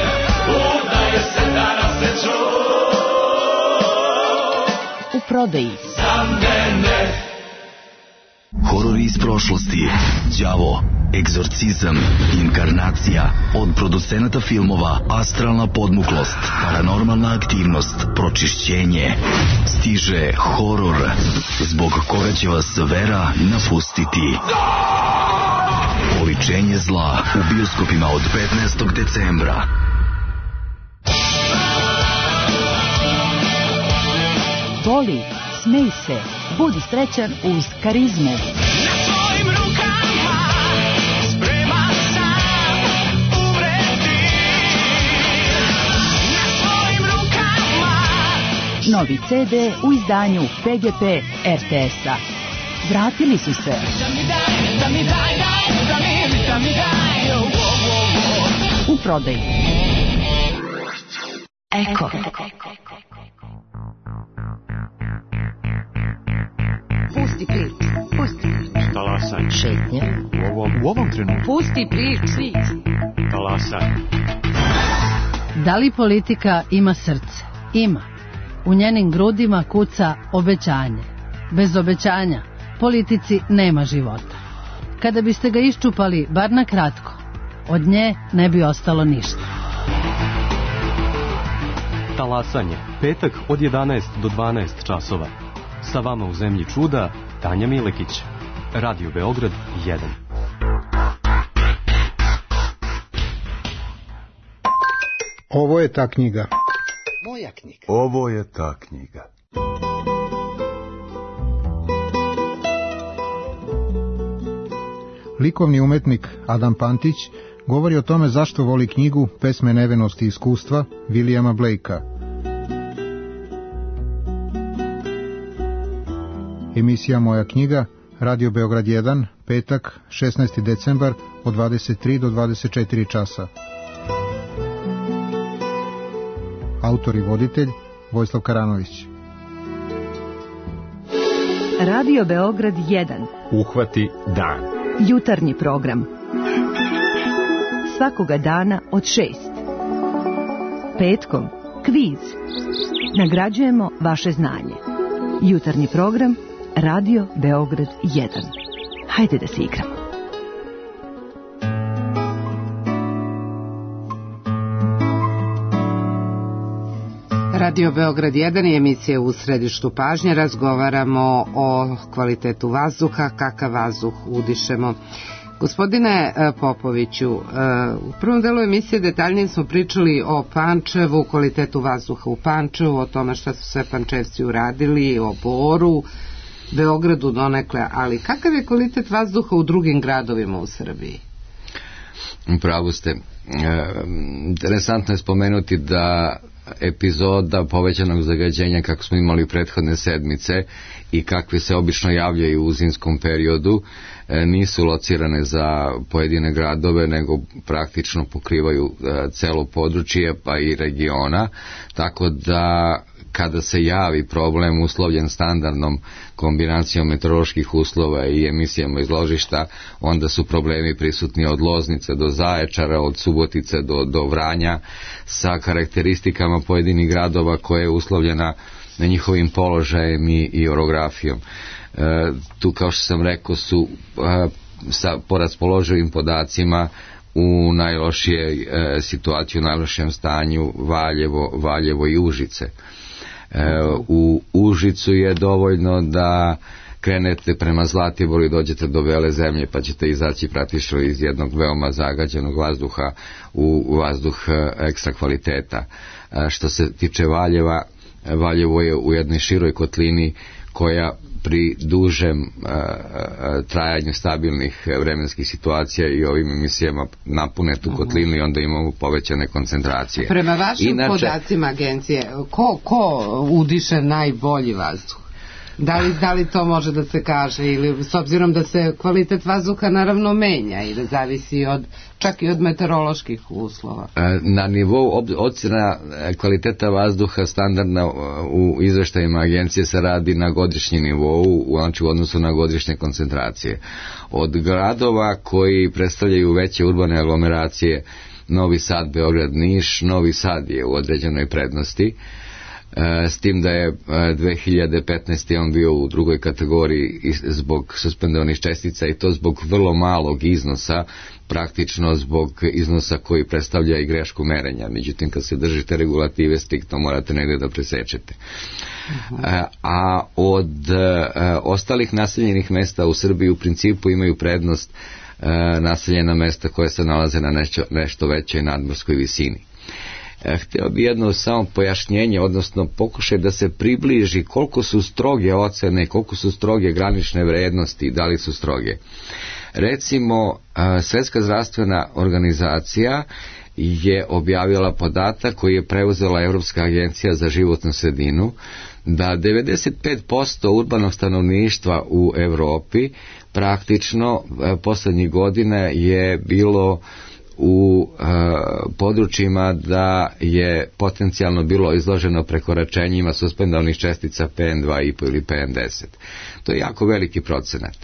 udaje se danas sreća u prodaji. Za mene. Horori iz prošlosti, đavo, egzorcizam, inkarnacija. Od producenata filmova Astralna podmuklost, Paranormalna aktivnost, Pročišćenje. Stiže horor, zbog koga će vas vera napustiti. Oličenje zla u bioskopima od petnaestog decembra. Voli, smej se, budi srećan uz Karizmu. Na svojim rukama spreman sam umreti. Na svojim rukama. Novi ce de u izdanju P G P er te es-a. Vratili su se. U prodaju. Eko. Pusti prič, pusti prič. Talasaj. Šetnja. U ovom, u ovom trenutku. Pusti prič, svić. Talasaj. Da li politika ima srce? Ima. U njenim grudima kuca obećanje. Bez obećanja politici nema života. Kada biste ga iščupali, bar na kratko, od nje ne bi ostalo ništa. Talasanje. Petak od jedanaest do dvanaest časova. Sa vama u zemlji čuda, Tanja Milekić. Radio Beograd jedan. Ovo je ta knjiga. Moja knjiga. Ovo je ta knjiga. Likovni umetnik Adam Pantić govori o tome zašto voli knjigu Pesme nevenosti i iskustva Williama Blakea. Emisija Moja knjiga, Radio Beograd jedan, petak, šesnaesti decembar, od dvadeset tri do dvadeset četiri časa. Autor i voditelj Vojislav Karanović. Radio Beograd jedan. Uhvati dan. Jutarnji program. Svakoga dana od šest. Petkom kviz. Nagrađujemo vaše znanje. Jutarnji program Radio Beograd jedan. Hajde da se igramo. Radio Beograd jedan je emisija u središtu pažnje. Razgovaramo o kvalitetu vazduha, kakav vazduh udišemo. Gospodine Popoviću, u prvom delu emisije detaljnije smo pričali o Pančevu, kvalitetu vazduha u Pančevu, o tome šta su sve Pančevci uradili, o Boru, Beogradu donekle, ali kakav je kvalitet vazduha u drugim gradovima u Srbiji? Upravo ste. Interesantno je spomenuti da epizoda povećanog zagađenja kako smo imali prethodne sedmice i kakve se obično javljaju u zimskom periodu nisu locirane za pojedine gradove, nego praktično pokrivaju celo područje pa i regiona, tako da kada se javi problem uslovljen standardnom kombinacijom meteoroloških uslova i emisijama iz ložišta, onda su problemi prisutni od Loznice do Zaječara, od Subotice do, do Vranja, sa karakteristikama pojedinih gradova koje je uslovljena na njihovim položajem i, i orografijom. E, tu, kao što sam rekao, su e, sa, po raspoloživim podacima u najlošije e, situaciji, u najlošijem stanju Valjevo, Valjevo i Užice. E, u Užicu je dovoljno da krenete prema Zlatiboru i dođete do Bele zemlje, pa ćete izaći praktično iz jednog veoma zagađenog vazduha u vazduh ekstra kvaliteta. E, što se tiče Valjeva, Valjevo je u jednoj široj kotlini koja pri dužem a, a, trajanju stabilnih vremenskih situacija i ovim emisijama napune tu kotlinu i onda imamo povećane koncentracije. Prema vašim Inače, podacima agencije, ko, ko udiše najbolji vazduh? Da li, da li to može da se kaže, ili s obzirom da se kvalitet vazduha naravno menja i da zavisi od, čak i od meteoroloških uslova? Na nivou ocjena kvaliteta vazduha standardna u izveštajima agencije se radi na godišnji nivou, znači u odnosu na godišnje koncentracije. Od gradova koji predstavljaju veće urbane aglomeracije, Novi Sad, Beograd, Niš, Novi Sad je u određenoj prednosti. s tim da je dve hiljade petnaeste. on bio u drugoj kategoriji zbog suspendovanih čestica i to zbog vrlo malog iznosa, praktično zbog iznosa koji predstavlja i grešku merenja. Međutim, kad se držite regulative striktno morate negde da presečete. Uh-huh. A od ostalih naseljenih mesta u Srbiji u principu imaju prednost naseljena mesta koje se nalaze na nešto, nešto većoj nadmorskoj visini. Htio bi jedno samo pojašnjenje, odnosno pokušaj da se približi koliko su stroge ocene, koliko su stroge granične vrednosti, da li su stroge. Recimo, Svetska zdravstvena organizacija je objavila podatak koji je preuzela Evropska agencija za životnu sredinu, da devedeset pet posto urbanog stanovništva u Evropi praktično poslednjih godina je bilo u e, područjima da je potencijalno bilo izloženo prekoračenjima suspendovanih čestica P M dva i po ili P M deset. To je jako veliki procenat.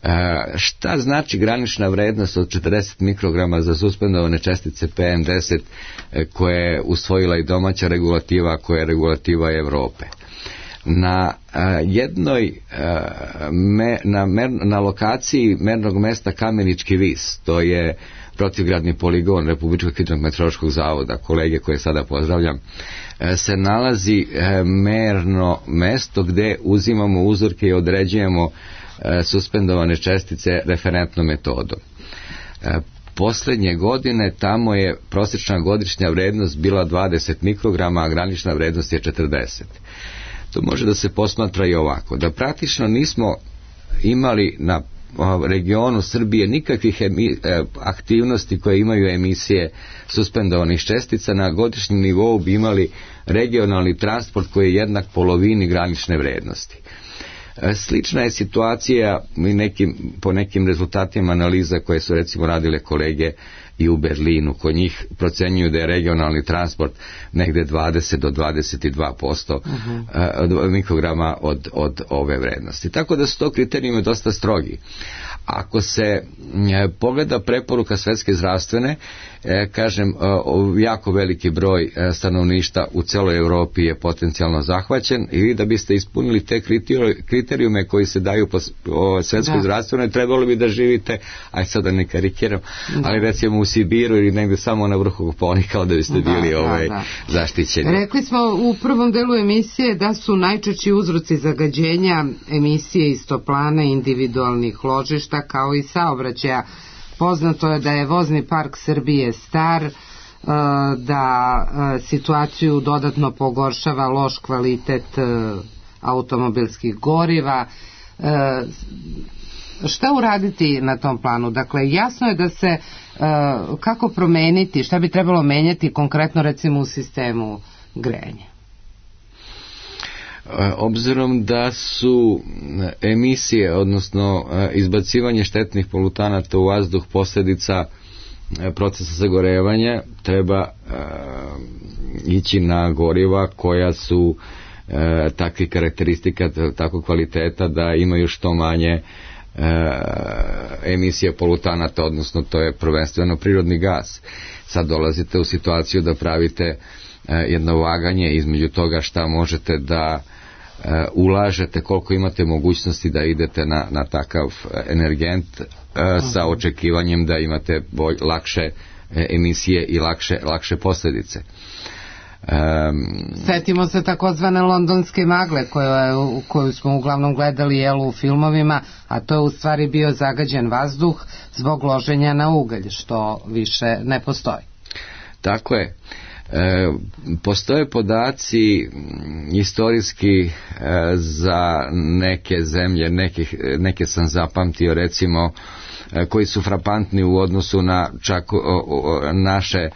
E, šta znači granična vrednost od četrdeset mikrograma za suspendovane čestice P M deset e, koje je usvojila i domaća regulativa, koja je regulativa Evrope? Na a, jednoj a, me, na, mer, na lokaciji mernog mesta Kamenički vis, to je protivgradni poligon Republičkog hidrometeorološkog zavoda, kolege koje sada pozdravljam, a, se nalazi a, merno mesto gde uzimamo uzorke i određujemo a, suspendovane čestice referentnom metodom. A, Poslednje godine tamo je prosječna godišnja vrednost bila dvadeset mikrograma, a granična vrednost je četrdeset. To može da se posmatra i ovako, da praktično nismo imali na regionu Srbije nikakvih emi, aktivnosti koje imaju emisije suspendovanih čestica. Na godišnjem nivou bi imali regionalni transport koji je jednak polovini granične vrednosti. Slična je situacija i nekim, po nekim rezultatima analiza koje su recimo radile kolege i u Berlinu. Kod njih procenjuju da je regionalni transport negde dvadeset do dvadeset dva posto uh-huh. mikrograma od, od ove vrednosti. Tako da su to kriterijumi dosta strogi. Ako se pogleda preporuka Svetske zdravstvene, kažem, jako veliki broj stanovništa u celoj Evropi je potencijalno zahvaćen i vi da biste ispunili te kriterijume koji se daju po Svetskoj da. zdravstvenoj, trebalo bi da živite, aj sad da ne karikiram, da. ali recimo u Sibiru ili negde samo na vrhu Koponika da biste bili da, ovaj, da, da. zaštićeni. Rekli smo u prvom delu emisije da su najčešći uzroci zagađenja emisije iz toplana individualnih ložišta kao i saobraćaja. Poznato je da je vozni park Srbije star, da situaciju dodatno pogoršava loš kvalitet automobilskih goriva. Šta uraditi na tom planu? Dakle, jasno je da se kako promeniti, šta bi trebalo menjati konkretno recimo u sistemu grejanja? Obzirom da su emisije, odnosno izbacivanje štetnih polutanata u vazduh posljedica procesa zagorevanja, treba ići na goriva koja su takvih karakteristika, takvog kvaliteta da imaju što manje emisije polutanata, odnosno to je prvenstveno prirodni gas. Sad dolazite u situaciju da pravite jedno vaganje između toga šta možete da Uh, ulažete, koliko imate mogućnosti da idete na, na takav energent uh, uh-huh. sa očekivanjem da imate bolj, lakše uh, emisije i lakše, lakše posljedice. Um, Setimo se takozvane londonske magle koju, koju smo uglavnom gledali jelu u filmovima, a to je u stvari bio zagađen vazduh zbog loženja na ugalj, što više ne postoji. Tako je. E, postoje podaci istorijski e, za neke zemlje, nekih, neke sam zapamtio recimo, e, koji su frapantni u odnosu na čak o, o, naše e,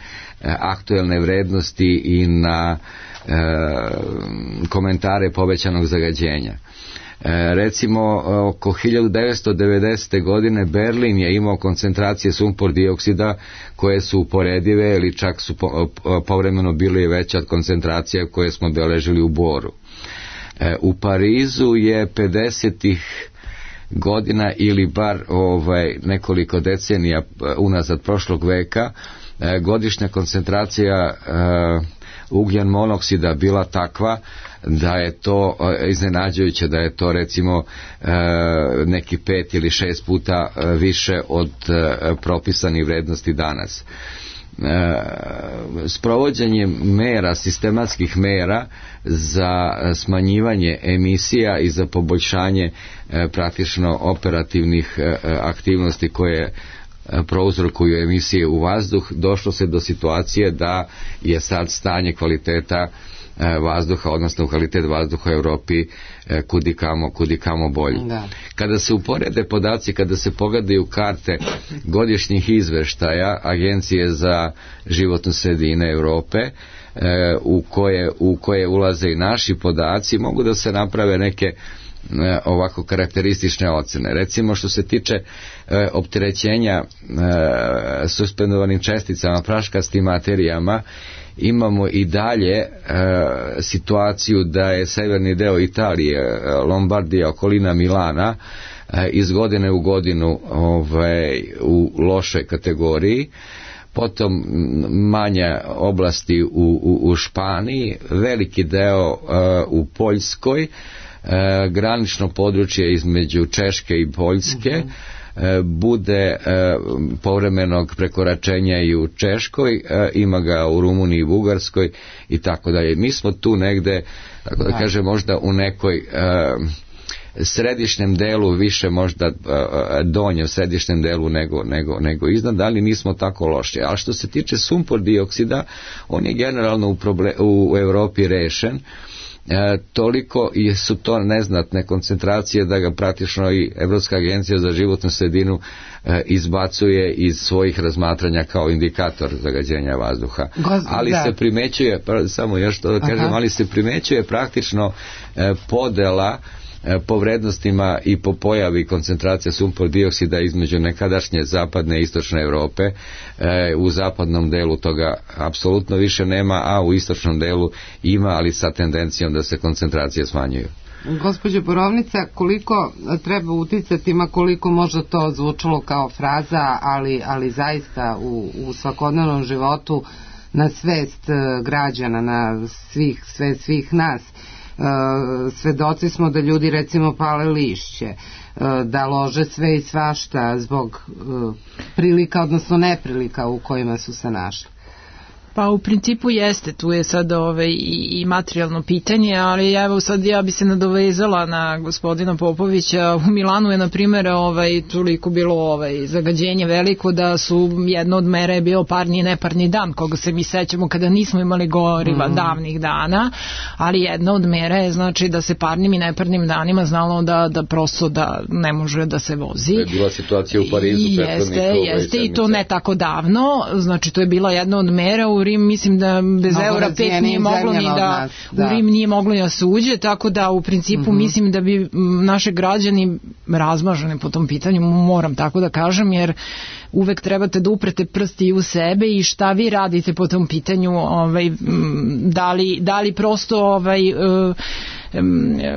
aktuelne vrednosti i na e, komentare povećanog zagađenja. E, recimo oko hiljadu devetsto devedesete. godine Berlin je imao koncentracije sumpor dioksida koje su uporedive ili čak su po, povremeno bile veće od koncentracija koje smo beležili u Boru. E, u Parizu je pedesetih godina ili bar ovaj, nekoliko decenija unazad prošlog veka e, godišnja koncentracija e, ugljen monoksida bila takva da je to iznenađujuće, da je to recimo neki pet ili šest puta više od propisanih vrednosti danas. Sprovođenje mera, sistematskih mera za smanjivanje emisija i za poboljšanje praktično operativnih aktivnosti koje prouzrokuju emisije u vazduh, došlo se do situacije da je sad stanje kvaliteta vazduha, odnosno kvalitet vazduha u Europi kudikamo, kudikamo bolji. Da. Kada se uporede podaci, kada se pogledaju karte godišnjih izveštaja Agencije za životnu sredinu Europe, u koje, u koje ulaze i naši podaci, mogu da se naprave neke ovako karakteristične ocene. Recimo što se tiče e, opterećenja e, suspendovanim česticama, praškastim materijama, imamo i dalje e, situaciju da je severni deo Italije, Lombardija, okolina Milana, e, iz godine u godinu ovaj, u lošoj kategoriji, potom manje oblasti u, u, u Španiji, veliki deo e, u Poljskoj, E, granično područje između Češke i Poljske uh-huh. e, bude e, povremenog prekoračenja i u Češkoj, e, ima ga u Rumuniji i Bugarskoj i tako dalje. Mi smo tu negde, tako da, da. kažem, možda u nekoj e, središnjem delu, više možda e, donje u središnjem delu nego, nego, nego iznad, ali nismo tako loši. A što se tiče sumpor dioksida, on je generalno u, problem, u Europi rešen. E, toliko i su to neznatne koncentracije da ga praktično i Evropska agencija za životnu sredinu e, izbacuje iz svojih razmatranja kao indikator zagađenja vazduha. Gos, ali da. se primećuje, samo još to da kažem, Aha. ali se primećuje praktično e, podela po vrednostima i po pojavi koncentracija sumpor dioksida između nekadašnje zapadne i istočne Europe. E, u zapadnom delu toga apsolutno više nema, a u istočnom delu ima, ali sa tendencijom da se koncentracije smanjuju. Gospođo Borovnica, koliko treba uticati, ma koliko možda to zvučalo kao fraza, ali, ali zaista u, u svakodnevnom životu na svest građana, na svih, sve, svih nas, Uh, svedoci smo da ljudi recimo pale lišće, uh, da lože sve i svašta zbog uh, prilika, odnosno neprilika u kojima su se našli. Pa u principu jeste, tu je sad ovaj, i, i materijalno pitanje, ali evo sad ja bi se nadovezala na gospodina Popovića. U Milanu je na primjer ovaj, toliko bilo ovaj, zagađenje veliko da su jedno od mera je bio parni i neparni dan, koga se mi sećamo kada nismo imali goriva mm. davnih dana, ali jedna od mera je znači da se parnim i neparnim danima znalo da, da prosto da ne može da se vozi. To je bila situacija u Parizu. I jeste, jeste i to ne tako davno, znači to je bila jedna od mera. U Rim mislim da bez Mnogo eura pet nije moglo ni da, da u Rim nije moglo da se uđe, tako da u principu mm-hmm. mislim da bi naše građani razmažene po tom pitanju, moram tako da kažem, jer uvek trebate da uprete prsti u sebe i šta vi radite po tom pitanju, ovaj, da li, da li prosto ovaj, uh,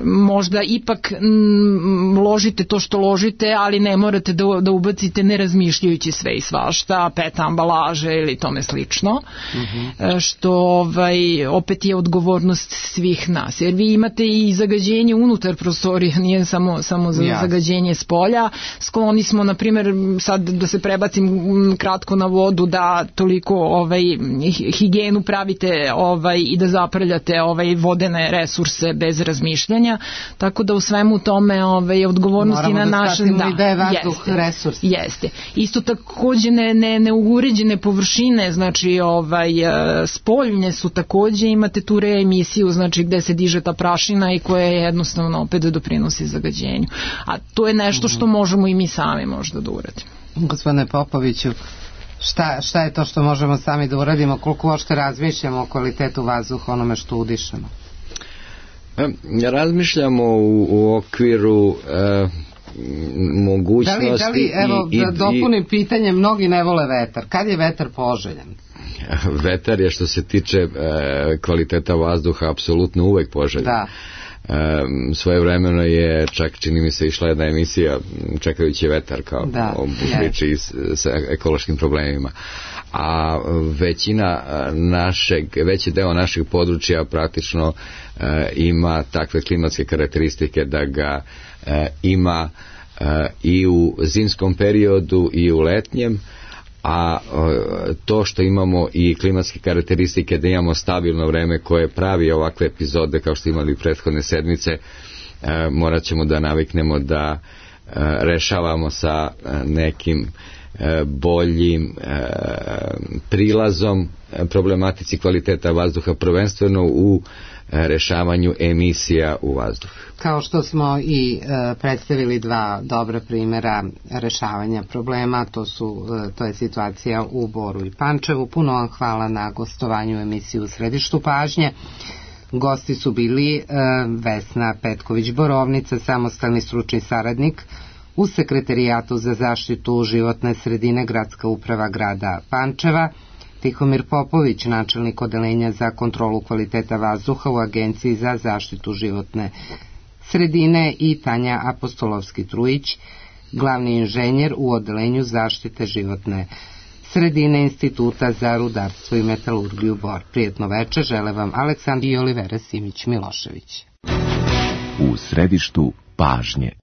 možda ipak m, ložite to što ložite, ali ne morate da, da ubacite ne razmišljajući sve i svašta, pet ambalaže ili tome slično, mm-hmm. što ovaj, opet je odgovornost svih nas, jer vi imate i zagađenje unutar prostorija, nije samo, samo za ja. zagađenje s polja. Skloni smo, na primjer, sad da se prebacim kratko na vodu, da toliko ovaj, higijenu pravite ovaj, i da zaprljate ovaj, vodene resurse bez razmišljanja, tako da u svemu tome ovaj, odgovornosti na našem da, da je vazduh resurs. Jeste. Isto takođe ne, ne, neuguređene površine, znači ovaj, spoljne su takođe, imate tu reemisiju, znači gde se diže ta prašina i koja je jednostavno opet doprinosi zagađenju. A to je nešto što možemo i mi sami možda da uradimo. Gospodine Popoviću, šta, šta je to što možemo sami da uradimo, koliko uopšte razmišljamo o kvalitetu vazduha, onome što udišemo? Razmišljamo u, u okviru e, mogućnosti. Da li, da li evo, i, da dopunim i, pitanje, mnogi ne vole vetar. Kad je vetar poželjan? Vetar je što se tiče e, kvaliteta vazduha apsolutno uvek poželjan. Da. svojevremeno je čak, čini mi se, išla jedna emisija Čekajući vetar, kao da, o priči sa ekološkim problemima. A većina našeg, veći deo našeg područja praktično e, ima takve klimatske karakteristike da ga e, ima e, i u zimskom periodu i u letnjem, a e, to što imamo i klimatske karakteristike da imamo stabilno vreme koje pravi ovakve epizode kao što imali prethodne sedmice, e, morat ćemo da naviknemo da e, rešavamo sa nekim boljim e, prilazom problematici kvaliteta vazduha, prvenstveno u e, rešavanju emisija u vazduh. Kao što smo i e, predstavili dva dobra primjera rešavanja problema, to su e, to je situacija u Boru i Pančevu. Puno vam hvala na gostovanju u emisiji U središtu pažnje. Gosti su bili e, Vesna Petković-Borovnica, samostalni stručni saradnik u Sekretarijatu za zaštitu životne sredine Gradska uprava grada Pančeva, Tihomir Popović, načelnik odeljenja za kontrolu kvaliteta vazduha u Agenciji za zaštitu životne sredine i Tanja Apostolovski-Trujić, glavni inženjer u odelenju zaštite životne sredine Instituta za rudarstvo i metalurgiju Bor. Prijetno večer, žele vam Aleksandar i Olivera Simić-Milošević. U središtu pažnje.